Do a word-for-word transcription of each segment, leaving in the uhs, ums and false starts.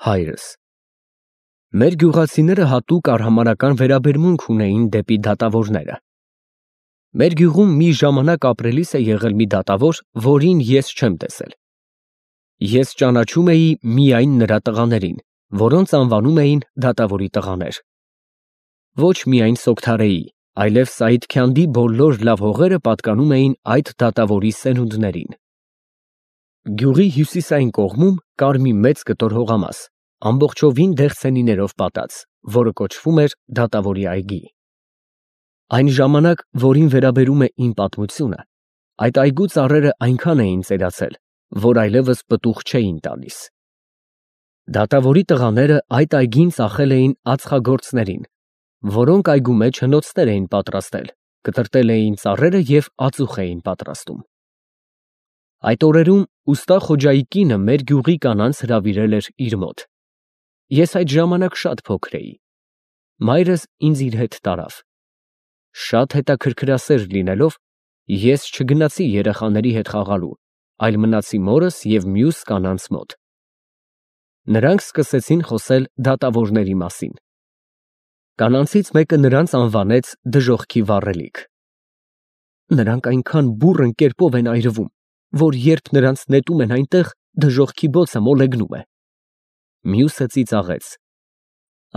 Հայրս։ Մեր գյուղացիները հատուկ արհամարհական վերաբերմունք ունեին դեպի դատավորները։ Մեր գյուղում մի ժամանակ ապրելիս է եղել մի դատավոր, որին ես չեմ տեսել։ Ես ճանաչում էի միայն նրա տղաներին, որոնց անվանում էին դատավորի տղաներ։ Ոչ միայն Սոգթարեի, այլև Սայիդքանդի բոլոր լավ հողերը պատկանում էին այդ դատավորի սերունդներին։ Գյուղի հյուսիսային կողմում կար մի մեծ կտոր հողամաս, ամբողջովին դեղցենիներով պատած, որը կոչվում էր դատավորի այգի։ Այն ժամանակ, որին վերաբերում է իմ պատմությունը, այդ այգու ծառերը այնքան էին ծերացել, որ այլևս պտուղ չէին տալիս։ Դատավորի տղաները այդ այգին ծախել էին ածխագործներին, որոնք այգու մեջ հնոցներ էին պատրաստել, կտրատել էին ծառերը և ածուխ էին պատրաստում։ Այդ օրերում ուստա Խոջայի կինը մեր գյուղի կանանց հրավիրել էր իր մոտ։ Ես այդ ժամանակ շատ փոքր էի։ Մայրս ինձ իր հետ տարավ։ Շատ հետաքրքրասեր լինելով, ես չգնացի երեխաների հետ խաղալու, այլ մնացի մորս և մյուս կանանց մոտ։ Նրանք սկսեցին խոսել դատավորների մասին։ Կանանցից մեկը նրանց անվանեց դժոխքի վառելիք։ Նրանք այնքան բուռն կերպով են այրվում, որ երբ նրանց նետում են այնտեղ, դժոխքի բոցը մոլեգնում է։ Մյուսը ծիծաղեց.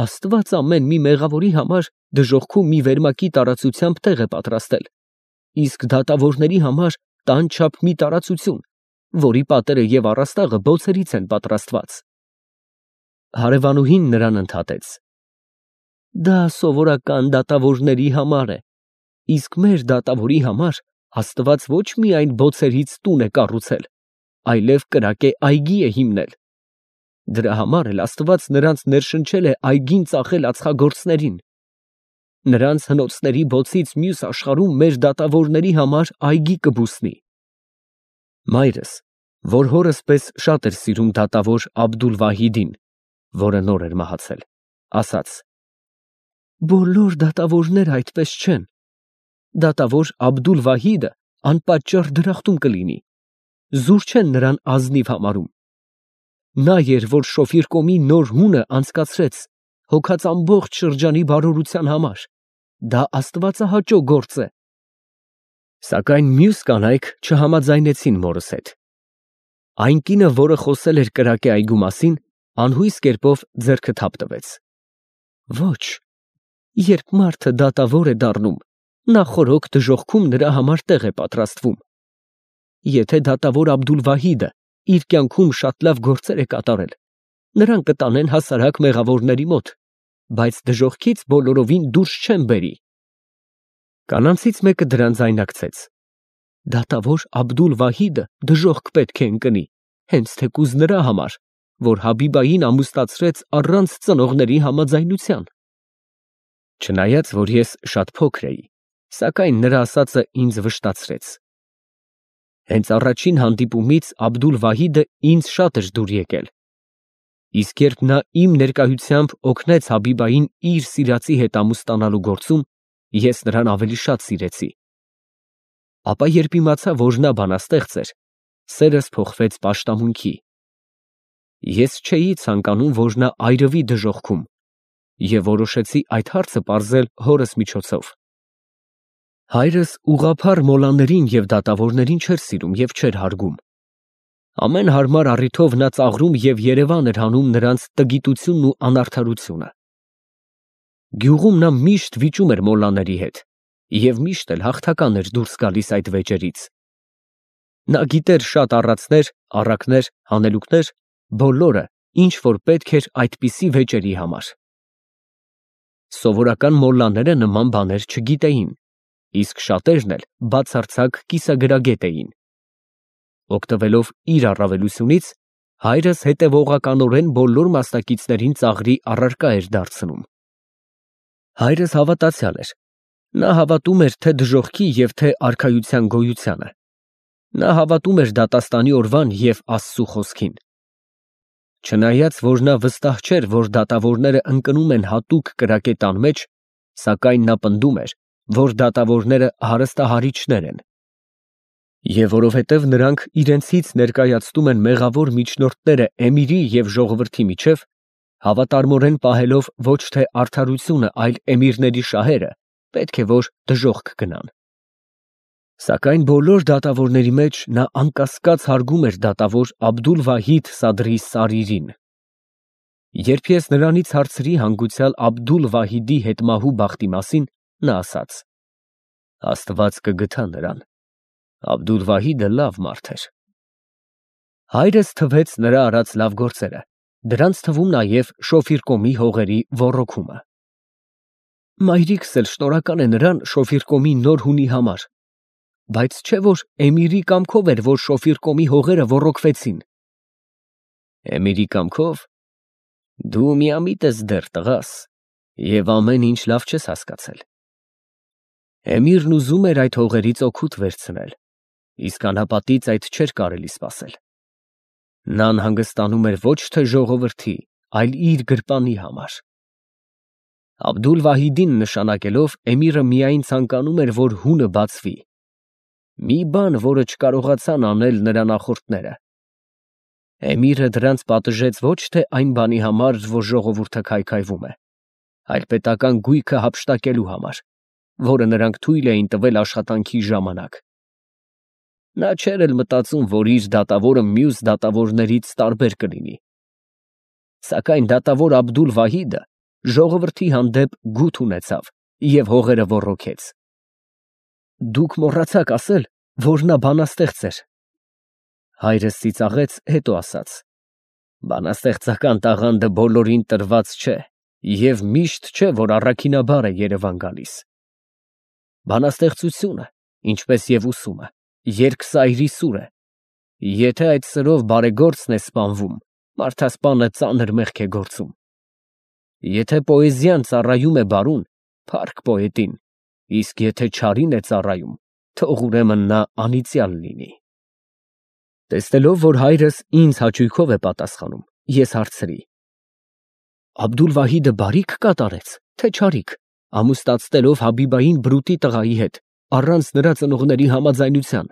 Աստված ամեն մի մեղավորի համար դժոխքում մի վերմակի տարածությամբ տեղ է պատրաստել, իսկ դատավորների համար տան չափ մի տարածություն, որի պատերը և առաստաղը բոցերից են պատրաստված։ Հարևանուհին նրան ընդհատեց. Դա սովորական դատավորների համար է, իսկ մեր դատավորի համար Աստված ոչ միայն բոցերից տուն է կառուցել, այլև կրակե այգի է հիմնել։ Դրա համար էլ Աստված նրանց ներշնչել է այգին ծախել ածխագործներին։ Նրանց հնոցների բոցից մյուս աշխարհում մեր դատավորների համար այգի կբուսնի։ Մայրս, որ հորս պես շատ էր սիրում դատավոր Աբդուլ֊Վահիդին, որը նոր էր մահացել, ասաց. Բոլոր դատավորները այդպես չեն։ Դատավոր Աբդուլ֊Վահիդը անպատճառ դրախտում կլինի, զուր չեն նրան ազնիվ համարում։ Նա էր, որ Շոֆիր կոմի նոր հունը անցկացրեց, հոգած ամբողջ շրջանի բարօրության համար, դա աստվածահաճո գործ է։ Սակայն մյուս կանայք չհամաձայնեցին մորս հետ։ Այն կինը, որը խոսել էր կրակե այգու մասին, անհույս կերպով ձեռքը թափ տվեց։ Ոչ, երբ մարդը դատավոր է դառնում, նախօրոք դժոխքում նրա համար տեղ է պատրաստվում։ Եթե դատավոր Աբդուլ-Վահիդը իր կյանքում շատ լավ գործեր է կատարել, նրան կտանեն հասարակ մեղավորների մոտ, բայց դժոխքից բոլորովին դուրս չեն բերի։ Կանանցից մեկը դրան ձայնարկեց. Դատավոր Աբդուլ-Վահիդը դժոխք պետք է ընկնի, հենց թեկուզ նրա համար, որ Հաբիբային ամուսնացրեց առանց ծնողների համաձայնության։ Չնայած, որ ես շատ փոքր էի, սակայն նրա ասածը ինձ վշտացրեց։ Հենց առաջին հանդիպումից Աբդուլ-Վահիդը ինձ շատ էր դուր եկել, իսկ երբ նա իմ ներկայությամբ օգնեց Հաբիբային իր սիրածի հետ ամուսնանալու գործում, ես նրան ավելի շատ սիրեցի։ Ապա երբ իմացա, որ նա բանաստեղծ էր, սերս փոխվեց պաշտամունքի։ Ես չէի ցանկանում, որ նա այրվի դժոխքում, և որոշեցի այդ հարցը պարզել հորս միջոցով։ Հայրս ուղղափառ մոլաներին և դատավորներին չէր սիրում և չէր հարգում։ Ամեն հարմար առիթով նա ծաղրում և երևան էր հանում նրանց տգիտությունն ու անարդարությունը։ Գյուղում նա միշտ վիճում էր մոլլաների հետ և միշտ էլ հաղթական էր դուրս գալիս այդ վեճերից։ Նա գիտեր շատ առածներ, առակներ, հանելուկներ, բոլորը, ինչ որ պետք էր այդպիսի վեճերի համար։ Սովորական մոլլաները նման բաներ չգիտեին, իսկ շատերն էլ բացարձակ կիսագրագետ էին։ Օգտվելով իր առավելությունից, հայրս հետևողականորեն բոլոր մասնակիցներին ծաղրի առարկա էր դարձնում։ Հայրս հավատացյալ էր։ Նա հավատում էր թե դժոխքի և թե արքայության գոյությանը։ Նա հավատում էր դատաստանի օրվան և Աստծու խոսքին։ Չնայած, որ նա վստահ չէր, որ դատավորները ընկնում են հատուկ կրակե տան մեջ, սակայն նա պնդում էր, որ դատավորները հարստահարիչներ են։ Եվ որովհետև նրանք իրենցից ներկայացնում են մեղավոր միջնորդները էմիրի և ժողովրդի միջև, Հավատարմորեն պահելով ոչ թե արդարությունը, այլ էմիրների շահերը, պետք է որ դժոխք գնան։ Սակայն բոլոր դատավորների մեջ նա անկասկած հարգում էր դատավոր Աբդուլ֊Վահիդ Սադրի Սարիրին։ Երբ ես նրանից հարցրի հանգուցյալ Աբդուլ֊Վահիդի հետմահու բախտի մասին, նա ասաց. Աստված կգթա նրան, Աբդուլ֊Վահիդը լավ մարդ էր։ Հայրս թվեց նրա արած լավ գործերը, դրանց թվում նաև Շոֆիրկոմի հողերի ոռոգումը։ Մայրիկս էլ շնորհակալ է նրան Շոֆիրկոմի նոր հունի համար, բայց չէ որ էմիրի կամքով էր, որ Շոֆիրկոմի հողերը ոռոգվեցին։ Էմիրի կամքով։ Դու միամիտ ես դեռ, տղաս, և ամեն ինչ լավ չես հասկացել։ Էմիրն ուզում էր այդ հողերից օգուտ վերցնել, իսկ անհապատից այդ չէր կարելի սպասել։ Նա անհանգստանում էր ոչ թե ժողովրդի, այլ իր գրպանի համար։ Աբդուլ-Վահիդին նշանակելով, էմիրը միայն ցանկանում էր, որ հունը բացվի։ Մի բան, որը չկարողացան անել նրա նախորդները։ Էմիրը դրանց պատժեց ոչ թե այն բանի համար, որ ժողովուրդը քայքայվում է, այլ պետական գույքը հափշտակելու համար, որը նրանք թույլ էին տվել աշխատանքի ժամանակ։ Նա չէր էլ մտածում, որ իր դատավորը մյուս դատավորներից տարբեր կլինի։ Սակայն դատավոր Աբդուլ-Վահիդը ժողովրդի հանդեպ գութ ունեցավ և հողերը ոռոգեց։ Դուք մոռացաք ասել, որ նա բանաստեղծ էր։ Հայրս ծիծաղեց, հետո ասաց. Բանաստեղծական տաղանդը բոլորին տրված չէ և միշտ չէ, որ առաքինաբար է Երևան գալիս։ Բանաստեղծությունը, ինչպես և ուսումը, երկսայրի սուր է։ Եթե այդ սրով բարեգործն է սպանվում, մարդասպանը ծանր մեղք է գործում։ Եթե պոեզիան ծառայում է բարուն, փառք պոետին, իսկ եթե չարին է ծառայում, թող ուրեմն նա անիծյալ լինի։ Տեսնելով, որ հայրս ինձ հաճույքով է պատասխանում, ես հարցրի. Աբդուլ-Վահիդը բարի՞ք կատարեց, թե չարիք, ամուսնացնելով Հաբիբային բրուտի տղայի հետ, առանց նրա ծնողների համաձայնության։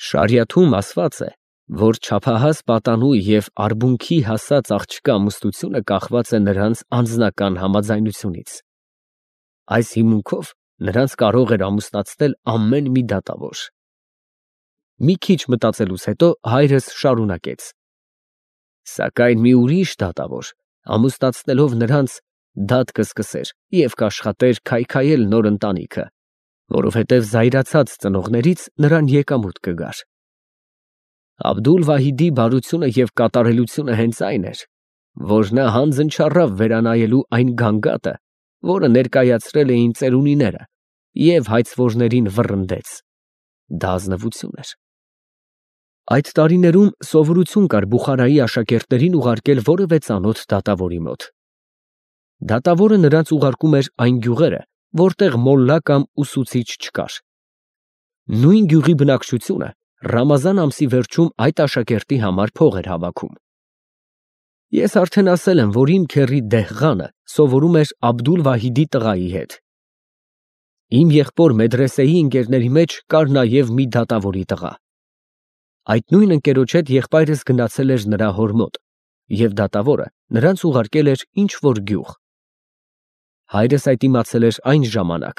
Շարիաթում ասված է, որ չափահաս պատանու և արբունքի հասած աղջկա ամուսնությունը կախված է նրանց անձնական համաձայնությունից։ Այս հիմունքով նրանց կարող էր ամուսնացնել ամեն մի դատավոր։ Մի քիչ մտածելուց հետո հայրս շարունակեց. Սակայն մի ուրիշ դատավոր, ամուսնացնելով նրանց, դատ կսկսեր և կաշխատեր քայքայել նոր ընտանիքը, որովհետև զայրացած ծնողներից նրան եկամուտ կգար։ Աբդուլ-Վահիդի բարությունը և կատարելությունը հենց այն էր, որ նա հանձն չառավ վերանայելու այն գանգատը, որը ներկայացրել էին ծերունիները, և հայցվորներին վռնդեց։ Դա ազնվություն էր։ Այդ տարիներում սովորություն կար Բուխարայի աշակերտներին ուղարկել որևէ ծանոթ դատավորի մոտ։ Դատավորը նրանց ուղարկում էր այն գյուղերը, որտեղ մոլլա կամ ուսուցիչ չկար։ Նույն գյուղի բնակչությունը Ռամազան ամսի վերջում այդ աշակերտի համար փող էր հավաքում։ Ես արդեն ասել եմ, որ իմ քեռի Դեհղանը սովորում էր Աբդուլ-Վահիդի տղայի հետ։ Իմ եղբոր մեդրեսեի ընկերների մեջ կար նաև մի դատավորի տղա։ Այդ նույն ընկերոջ հետ եղբայրս գնացել էր նրա հոր մոտ, և դատավորը նրանց ուղարկել էր ինչ֊որ գյուղ։ Հայրս այդ իմացել էր այն ժամանակ,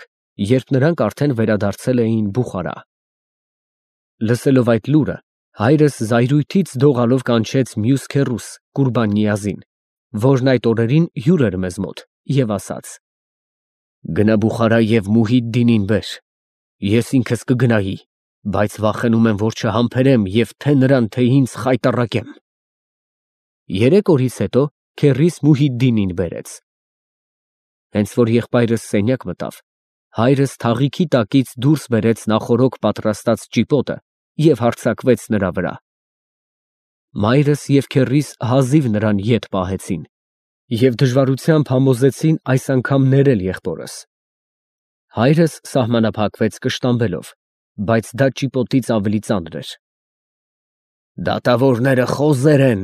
երբ նրանք արդեն վերադարձել էին Բուխարա։ Լսելով այդ լուրը, հայրս զայրույթից դողալով կանչեց մյուս քեռուս Կուրբան֊Նիազին, որն այդ օրերին հյուր էր մեզ մոտ, և ասաց. Գնա Բուխարա և Մուհիդդինին բեր, ես ինքս կգնայի, բայց վախենում եմ, որ չհամբերեմ և թե նրան, թե ինձ խայտառակեմ։ Երեք օրից հետո քեռիս Մուհիդդինին բերեց։ Հենց որ եղբայրս սենյակ մտավ, հայրս թաղիքի տակից դուրս բերեց նախօրոք պատրաստած ճիպոտը և հարձակվեց նրա վրա։ Մայրս և քեռիս հազիվ նրան ետ պահեցին և դժվարությամբ համոզեցին այս անգամ ներել եղբորս։ Հայրս սահմանափակվեց կշտամբելով, բայց դա ճիպոտից ավելի ծանր էր։ Դատավորները խոզեր են,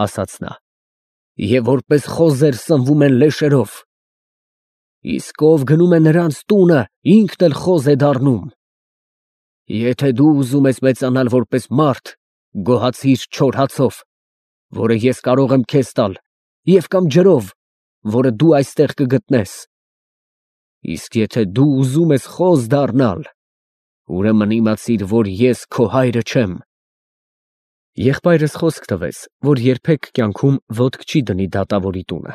ասաց նա, և որպես խոզեր սնվում են լեշերով։ Իսկ ով գնում է նրանց տունը, ինքն էլ խոզ է դառնում։ Եթե դու ուզում ես մեծանալ որպես մարդ, գոհացիր չոր հացով, որը ես կարող եմ քեզ տալ, և կամ ջրով, որը դու այստեղ կգտնես։ Իսկ եթե դու ուզում ես խոզ դառնալ, ուրեմն իմացիր, որ ես քո հայրը չեմ։ Եղբայրս խոսք տվեց, որ երբեք կյանքում ոտք չի դնի դատավորի տունը։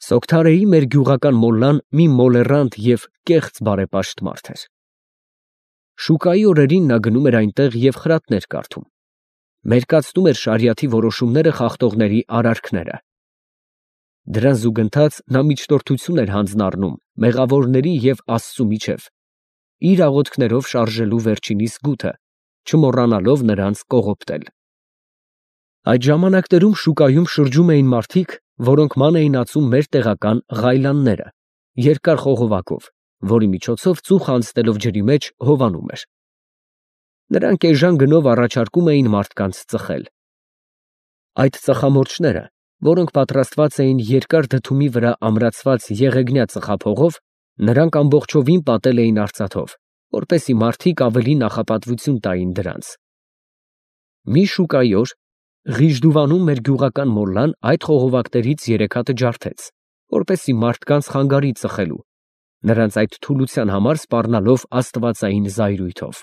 Սոգթարեի մեր գյուղական մոլլան մի մոլեռանդ և կեղծ բարեպաշտ մարդ էր։ Շուկայի օրերին նա գնում էր այնտեղ և խրատներ կարդում, մերկացնում էր շարիաթի որոշումները խախտողների արարքները։ Դրան զուգընթաց նա միջնորդություն էր հանձն առնում մեղավորների և Աստծու միջև, իր աղոթքներով շարժելու վերջինիս գութը, չմոռանալով նրանց կողոպտել։ Այդ ժամանակներում շուկայում շրջում էին մարդիկ, որոնք ման էին ածում մեր տեղական ղայլանները, երկար խողովակով, որի միջոցով ծուխ անցնելով ջրի մեջ հովանում էր։ Նրանք էժան գնով առաջարկում էին մարդկանց ծխել։ Այդ ծխամորճները, որոնք պատրաստված էին երկար դդումի վրա ամրացված եղեգնյա ծխափողով, նրանք ամբողջովին պատել էին արծաթով, որպեսզի մարդիկ ավելի նախապատվություն տային դրանց։ Մի շուկայի օր Ղիժդուվանում մեր գյուղական մոլլան այդ խողովակներից երեք հատը ջարդեց, որպեսզի մարդկանց խանգարի ծխելու, նրանց այդ թուլության համար սպառնալով աստվածային զայրույթով։